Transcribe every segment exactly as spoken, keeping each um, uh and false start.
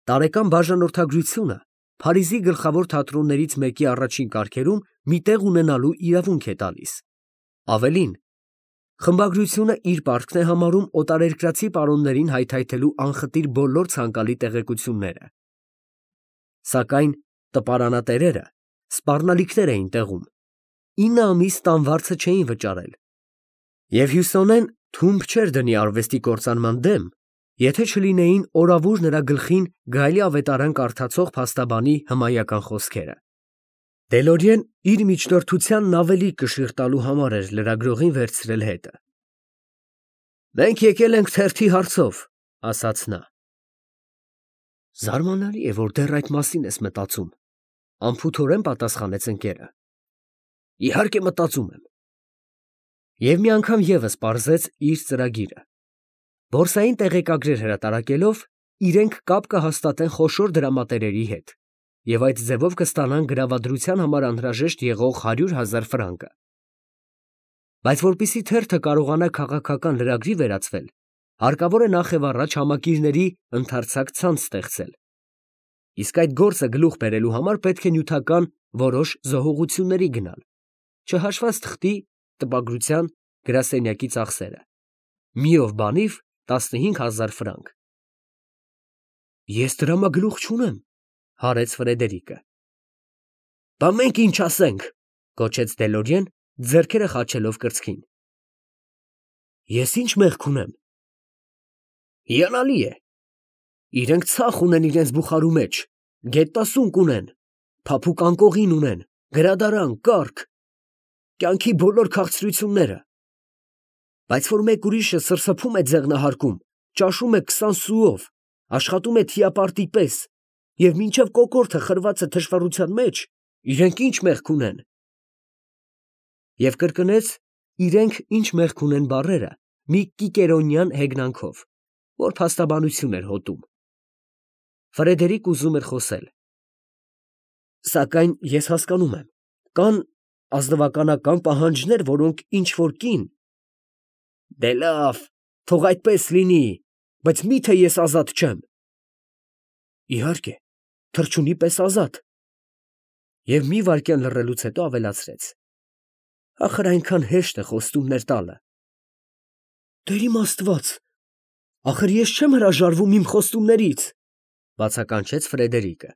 Տարեկան բաժանորդագրությունը Փարիզի գլխավոր թատրոններից մեկի առաջին կարգերում մի տեղ ունենալու իրավունք է տալիս։ Ավելին, խմբագրությունը իր պարտքն է համարում օտարերկրացի պարոններին հայթայթելու անխտիր բոլոր ցանկալի տեղեկությունները։ Սակայն տպարանատերերը սպառնալիքներ էին տեղում, ինը ամիս տանվարձը չէին վճարել, և Հյուսոնեն թումբ չէր դնի արվեստի կործանման դեմ, եթե չլինեին օրավուր նրա գլխին գայլի ավետարան կարդացող փաստաբանի հմայական խոսքերը։ Դելորիեն իր միջնորդությանն ավելի կշիռ տալու համար էր լրագրողին վերցրել հետը։ «Մենք եկել ենք թերթի հարցով», ասաց նա։ «Զարմանալի է, որ դեռ այդ մասին ես մտածում», անփութորեն պատասխանեց ընկերը։ «Իհարկե մտածում եմ»։ Եվ մի անգամ ևս պարզեց իր ծրագիրը։ Բորսային տեղեկագրեր հրատարակելով իրենք կապ կհաստատեն խոշոր դրամատերերի հետ և այդ ձևով կստանան գրավադրության համար անհրաժեշտ եղող հարյուր հազար ֆրանկը։ Բայց որպեսզի թերթը կարողանա քաղաքական լրագրի վերածվել, հարկավոր է նախևառաջ համակիրների ընդարձակ ցանց ստեղծել։ Իսկ այդ գործը գլուխ բերելու համար պետք է նյութական որոշ զոհողությունների գնալ, չհաշված թղթի, տպագրության, գրասենյակի ծախսերը։ Մի ով բանիվ տասնհինգ հազար ֆրանկ։ Ես դրամագլուխ չունեմ, հարեց Ֆրեդերիկը։ Բա մենք ինչ ասենք, գոչեց Դելորիեն, ձեռքերը խաչելով կրծքին։ Ես ինչ մեղք ունեմ։ Հիանալի է։ Իրենք ցախ ունեն իրենց բուխարու մեջ, գետտասունկ ունեն, փափուկ անկողին ունեն, գրադարան, կառք, կյանքի բոլոր քաղցրությունները։ Բայց որ մեկ ուրիշը սրսփում է ձեղնահարկում, ճաշում է քսան սուով, աշխատում է թիապարտի պես, և մինչև կոկորդը խրված է թշվառության մեջ, իրենք ինչ մեղք ունեն։ Եվ կրկնեց իրենք ինչ մեղք ունեն բառերը մի կիկերոնյան հեգնանքով, որ փաստաբանություն էր հոտում։ Ֆրեդերիկ ուզում էր խոսել։ Սակայն ես հասկանում եմ, կան ազնվականական պահանջներ, որոնք ինչ-որ կին… Դե լավ, թող այդպես լինի, բայց մի՞թե ես ազատ չեմ։ Իհարկե, թռչունի պես ազատ։ Եվ մի վայրկյան լռելուց հետո ավելացրեց. Ախր այնքան հեշտ է խոստումներ տալը։ Տեր իմ Աստված, ախր ես չեմ հրաժարվում իմ խոստումներից, բացականչեց Ֆրեդերիկը։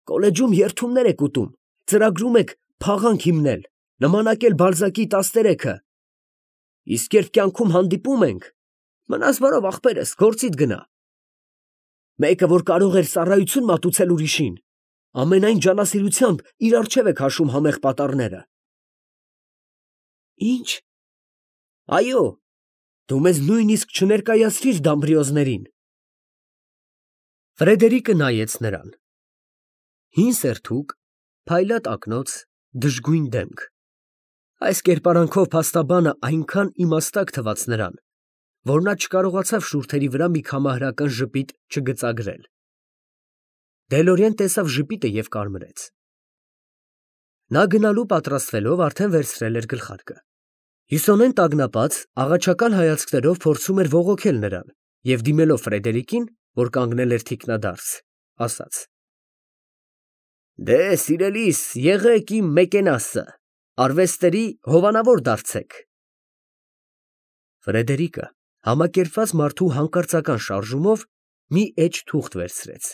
Կոլեջում երդումներ եք ուտում, ծրագրում եք փաղանք հիմնել, նմանակել Բալզակի տասներեքը։ Իսկ երբ կյանքում հանդիպում ենք, մնաս բարով ախպերս, գործիդ գնա։ Մեկը, որ կարող էր ծառայություն մատուցել ուրիշին, ամենայն ջանասիրությամբ իր առջև է քաշում համեղ պատառները։ Ինչ։ Այո, դու մեզ նույնիսկ չներկայացրիր դամբրիոզներին։ Ֆրեդերիկը նայեց նրան։ Հին սերթուկ, փայլատ ակնոց, դժգույն դեմք։ Այս կերպարանքով փաստաբանը այնքան իմաստակ թվաց նրան, որ նա չկարողացավ շուրթերի վրա մի քամահրական ժպիտ չգծագրել։ Դելորիեն տեսավ ժպիտը և կարմրեց։ Նա գնալու պատրաստվելով արդեն վերցրել էր գլխարկը։ Հյուսոնեն տագնապած, աղաչական հայացքներով փորձում էր բողոքել նրան և դիմելով Ֆրեդերիկին, որ կանգնել էր թիկնադարս, ասաց. Դե, սիրելիս, եղեք իմ մեկենասը, արվեստների հովանավոր դարձեք։ Ֆրեդերիկը համակերպված մարդու հանկարծական շարժումով մի էջ թուղթ վերցրեց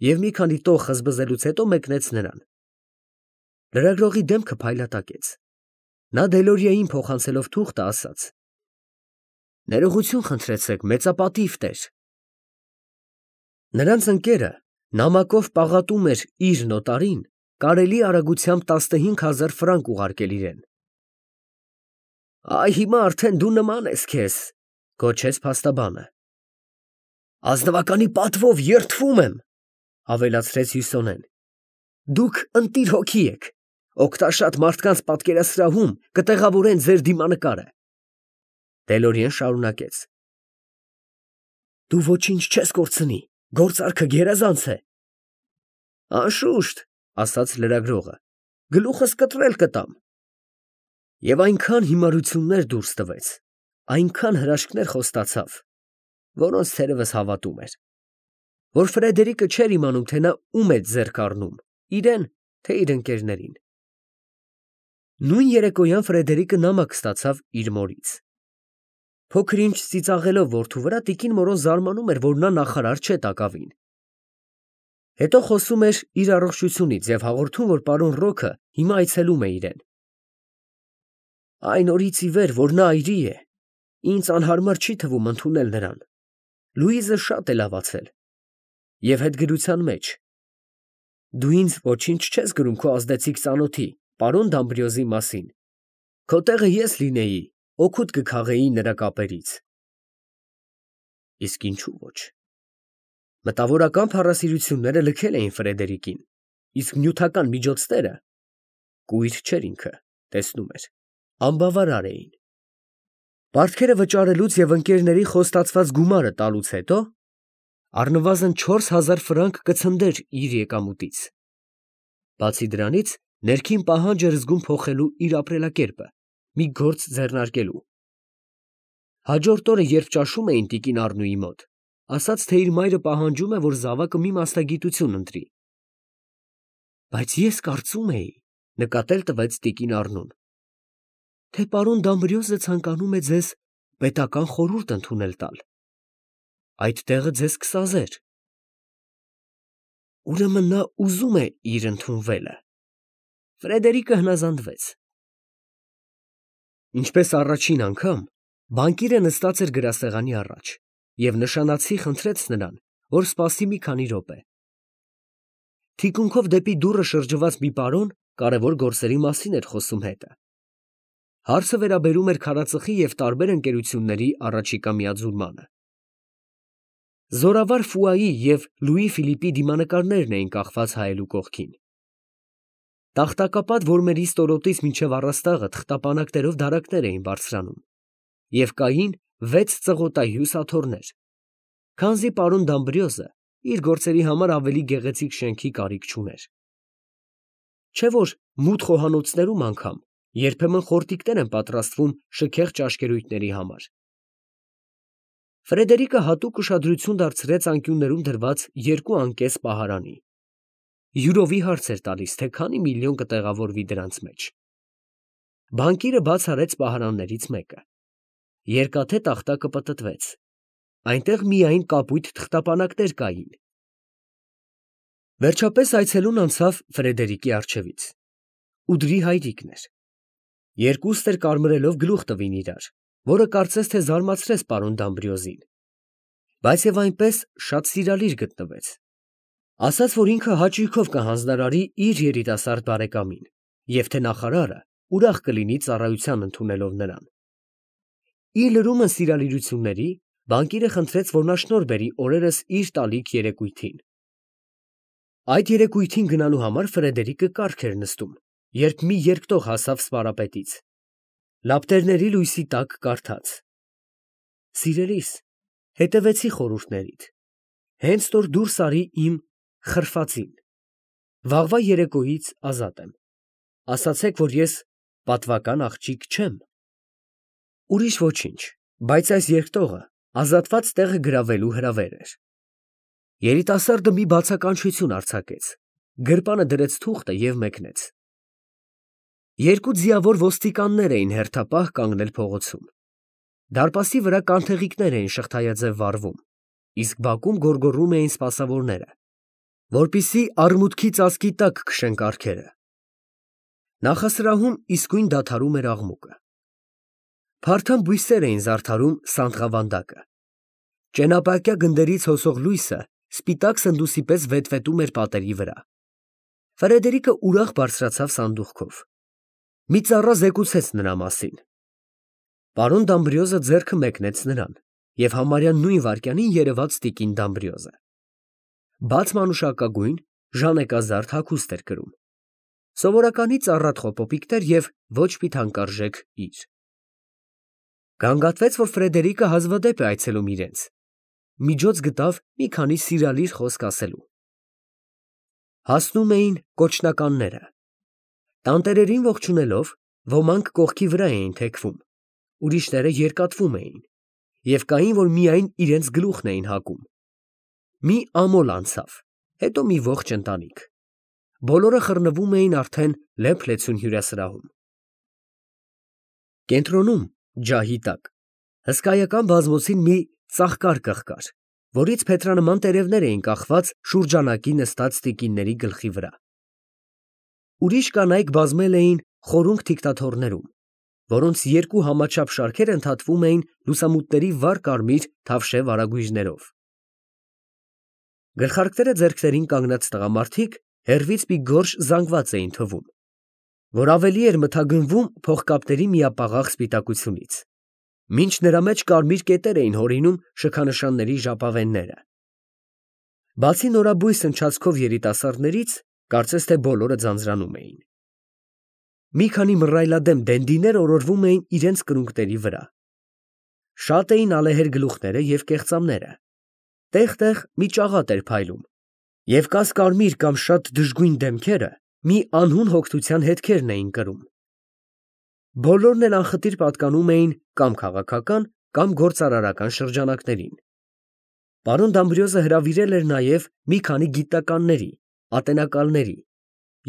և մի քանի տող խզբզելուց հետո մեկնեց նրան։ Լրագրողի դեմքը փայլատակեց։ Նա Դելորիեին փոխանցելով թուղթը ասաց. Ներողություն խնդրեցեք, մեծապատիվ տեր։ Նրանց ընկերը նամակով պաղատում էր իր նոտարին կարելի արագությամբ տասնհինգ հազար ֆրանկ ուղարկել իրեն։ Այ հիմա արդեն դու նման ես քեզ, գոչեց փաստաբանը։ Ազնվականի պատվով երդվում եմ, ավելացրեց Հյուսոնեն։ Դուք ընտիր հոգի եք, օգտաշատ մարդկանց պատկերասրահում կտեղավորեն ձեր դիմանկարը։ Դելորիեն շարունակեց. Դու ոչինչ չես կորցնի, գործարքը գերազանց է։ Անշուշտ, ասաց լրագրողը, գլուխս կտրել կտամ։ Եվ այնքան հիմարություններ դուրս տվեց, այնքան հրաշքներ խոստացավ, որոնց թերևս հավատում էր։ որ Ֆրեդերիկը չէր իմանում, թե նա ում է ձեռք առնում, իրեն, թե իր ընկերներին։ Նույն երեկոյան Ֆրեդերիկը նամակ ստացավ իր մորից։ Փոքր-ինչ ծիծաղելով որդու վրա, տիկին Մորոն զարմանում էր, որ նա նախարար չէ տակավին։ Հետո խոսում էր իր առողջությունից և հաղորդում, որ պարոն Ռոքը հիմա այցելում է իրեն։ Այն օրից ի վեր, որ նա այրի է, ինձ անհարմար չի թվում ընդունել նրան։ Լուիզը շատ է լավացել։ Եվ հետգրության մեջ։ Դու ինձ ոչինչ չես գրում քո ազդեցիկ ծանոթի, պարոն Դամբրիոզի մասին։ Քո տեղը ես լինեի, օգուտ կքաղեի նրա կապերից։ Իսկ ինչու ոչ։ Մտավորական փառասիրությունները լքել էին Ֆրեդերիկին, իսկ նյութական միջոցները կույր չէր ինքը, տեսնում էր, անբավարար էին։ Պարտքերը վճարելուց և ընկերների խոստացված գումարը տալուց հետո առնվազն չորս հազար ֆրանկ կցնդեր իր եկամուտից։ Բացի դրանից, ներքին պահանջ էր զգում փոխելու իր ապրելակերպը, մի գործ ձեռնարկելու։ Հաջորդ օրը, երբ ճաշում էին տիկին Առնուի մոտ, ասաց, թե իր մայրը պահանջում է, որ զավակը մի մասնագիտություն ընտրի։ Բայց ես կարծում էի, նկատել տվեց տիկին Առնուն, թե պարոն Դամբրիոզը ցանկանում է ձեզ պետական խորհուրդ ընդունել տալ։ Այդ տեղը ձեզ կսազեր։ Ուրեմն նա ուզում է իր ընդունվելը։ Ֆրեդերիկը հնազանդվեց։ Ինչպես առաջին անգամ, բանկիրը նստած էր գրասեղանի առաջ և նշանացի խնդրեց նրան, որ սպասի մի քանի րոպե։ Թիկունքով դեպի դուռը շրջված մի պարոն կարևոր գործերի մասին էր խոսում հետը։ Հարցը վերաբերում էր քարածխի և տարբեր ընկերությունների առաջիկա միաձուլմանը։ Զորավար Ֆուայի և Լուի Ֆիլիպի դիմանկարներն էին կախված հայելու կողքին։ Տախտակապատ որմերի ստորոտից մինչև առաստաղը թղթապանակներով դարակներ էին բարձրանում և կային վեց ծղոտահյուս աթոռներ, քանզի պարոն Դամբրիոզը իր գործերի համար ավելի գեղեցիկ շենքի կարիք չուներ։ Չէ՞ որ մութ խոհանոցներում անգամ երբեմն խորտիկներ են պատրաստվում շքեղ ճաշկերույթների համար։ Ֆրեդերիկը հատուկ ուշադրություն դարձրեց անկյուններում դրված երկու անկես պահարանի։ Յուրովի հարց էր տալիս, թե քանի միլիոն կտեղավորվի դրանց մեջ։ Բանկիրը բաց արեց պահարաններից մեկը։ Երկաթե տախտակը պտտվեց։ Այնտեղ միայն կապույտ թղթապանակներ կային։ Վերջապես այցելուն անցավ Ֆրեդերիկի առջևից։ Ուդրի հայրիկն էր։ Երկուստ էլ կարմրելով գլուխ տվին իրար, որը կարծես թե զարմացրեց պարոն Դամբրիոզին, բայց և այնպես շատ սիրալիր գտնվեց։ Ասաց, որ ինքը հաճույքով կհանձնարարի իր երիտասարդ բարեկամին և թե նախարարը ուրախ կլինի ծառայության ընդունելով նրան։ Իր լրումն սիրալիրությունների, բանկիրը խնդրեց, որ նա շնորհ բերի օրերս իր տալիք երեկույթին։ Այդ երեկույթին գնալու համար Ֆրեդերիկը կառք էր նստում, երբ մի երկտող հասավ սպարապետից։ Լապտերների լույսի տակ կարդաց. Սիրելիս, հետևեցի խորհուրդներիդ, հենց որ դուրս արի իմ խրֆածին։ Վաղվա երեկոյից ազատ եմ։ Ասացեք, որ ես պատվական աղջիկ չեմ։ Ուրիշ ոչինչ, բայց այս երկտողը ազատված տեղը գրավելու հրավեր էր։ Երիտասարդը մի բացականչություն արձակեց, գրպանը դրեց թուղթը և մեկնեց։ Երկու ձիավոր ոստիկաններ էին հերթապահ կանգնել փողոցում։ Դարպասի վրա կանթեղիկներ էին շղթայաձև վառվում, իսկ բակում գոռգոռում էին սպասավորները, որպեսզի արմունկի ծածկի տակ քշեն կառքերը։ Նախասրահում իսկույն դադարում էր աղմուկը։ Փարթամ բույսեր էին զարդարում սանդղավանդակը։ Ճենապակյա գնդերից հոսող լույսը սպիտակ սնդուսի պես վետվետում էր պատերի վրա։ Ֆրեդերիկը ուրախ բարձրացավ սանդուղքով։ Մի ծառա զեկուցեց նրա մասին։ Պարոն Դամբրիոզը ձեռքը մեկնեց նրան և համարյա նույն վայրկյանին երևաց տիկին Դամբրիոզը։ Բաց մանուշակագույն, ժանեկազարդ հագուստ էր կրում։ Սովորականից առատ խոպոպիկներ և ոչ մի թանկարժեք իր։ Գանգատվեց, որ Ֆրեդերիկը հազվադեպ է այցելում իրենց։ Միջոց գտավ մի քանի սիրալիր խոսք ասելու։ Հասնում էին կոչնականները։ Տանտերերին ողջունելով, ոմանք կողքի վրա էին թեքվում, ուրիշները երկատվում էին, և կային, որ միայն իրենց գլուխն էին հակում։ Մի ամոլ անցավ, հետո մի ողջ ընտանիք։ Բոլորը խռնվում էին արդեն լեփ-լեցուն հյուրասրահում։ Կենտրոնում, ջահի տակ, հսկայական բազմոցին մի ծաղկարկղ կար, որից փետրանման տերևներ էին կախված շուրջանակի նստած տիկինների գլխի վրա։ Ուրիշ կանայք բազմել էին խորունգ թիկթաթոռներում, որոնց երկու համաչափ շարքեր ընդհատվում էին լուսամուտների վառ կարմիր թավշե վարագույրներով։ Գլխարկները ձեռքներին կանգնած տղամարդիկ հեռվից մի գորշ զանգված էին թվում, որ ավելի էր մթագնվում փողկապների միապաղաղ սպիտակությունից, մինչ նրա մեջ կարմիր կետեր էին հորինում շքանշանների ժապավենները։ Բացի նորաբույս ընչացքով երիտասարդներից, կարծես թե բոլորը ձանձրանում էին։ Մի քանի մռայլադեմ դենդիներ օրորվում էին իրենց կրունկների վրա։ Շատ էին ալեհեր գլուխները և կեղծամները, տեղ֊տեղ մի ճաղատ էր փայլում, և կաս֊կարմիր կամ շատ դժգույն դեմքերը մի անհուն հոգնության հետքերն էին կրում։ Բոլորն էլ անխտիր պատկանում էին կամ քաղաքական, կամ գործարարական շրջանակներին։ Պարոն Դամբրիոզը հրավիրել էր նաև մի քանի գիտնականների, ատենակալների,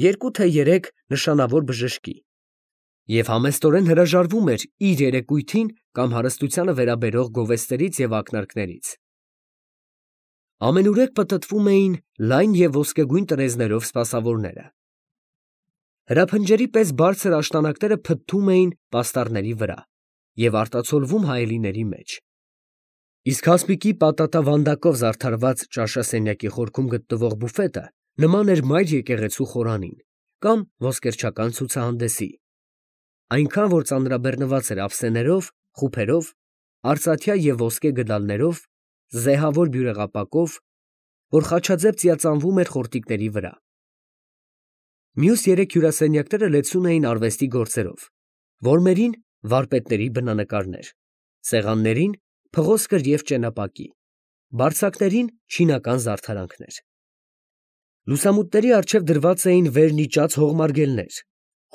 երկու թե երեք նշանավոր բժշկի և համեստորեն հրաժարվում էր իր երեկույթին կամ հարստությանը վերաբերող գովեստներից և ակնարկներից։ Ամենուրեք պտտվում էին լայն և ոսկեգույն տրեզներով սպասավորները։ Հրափնջերի պես բարձր աշտանակները փթթում էին պաստառների վրա և արտացոլվում հայելիների մեջ, իսկ հասմիկի պատատա վանդակով զարդարված ճաշասենյակի խորքում գտնվող բուֆետը նման էր մայր եկեղեցու խորանին կամ ոսկերչական ցուցահանդեսի, այնքան որ ծանրաբեռնված էր ափսեներով, խուփերով, արծաթյա և ոսկե գդալներով, զեհավոր բյուրեղապակով, որ խաչաձև ծիածանվում էր խորտիկների վրա։ Մյուս երեք հյուրասենյակները լեցուն էին արվեստի գործերով, որմերին վարպետների բնանկարներ, սեղաններին փղոսկր և ճենապակի, բարձակներին չինական զարդարանքներ։ Լուսամուտների առջև դրված էին վերնիճած հողմարգելներ,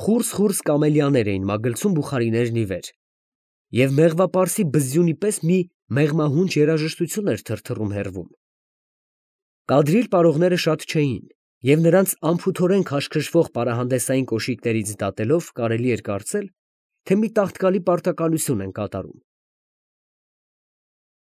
խուրս֊խուրս կամելիաներ էին մագլցում բուխարիներն ի վեր, և մեղվապարսի բզզյունի պես մի մեղմահունչ երաժշտություն էր թրթռում հեռվում։ Կադրիլ պարողները շատ չէին, և նրանց անփութորեն քաշքշվող պարահանդեսային կոշիկներից դատելով կարելի էր կարծել, թե մի տաղտկալի պարտականություն են կատարում։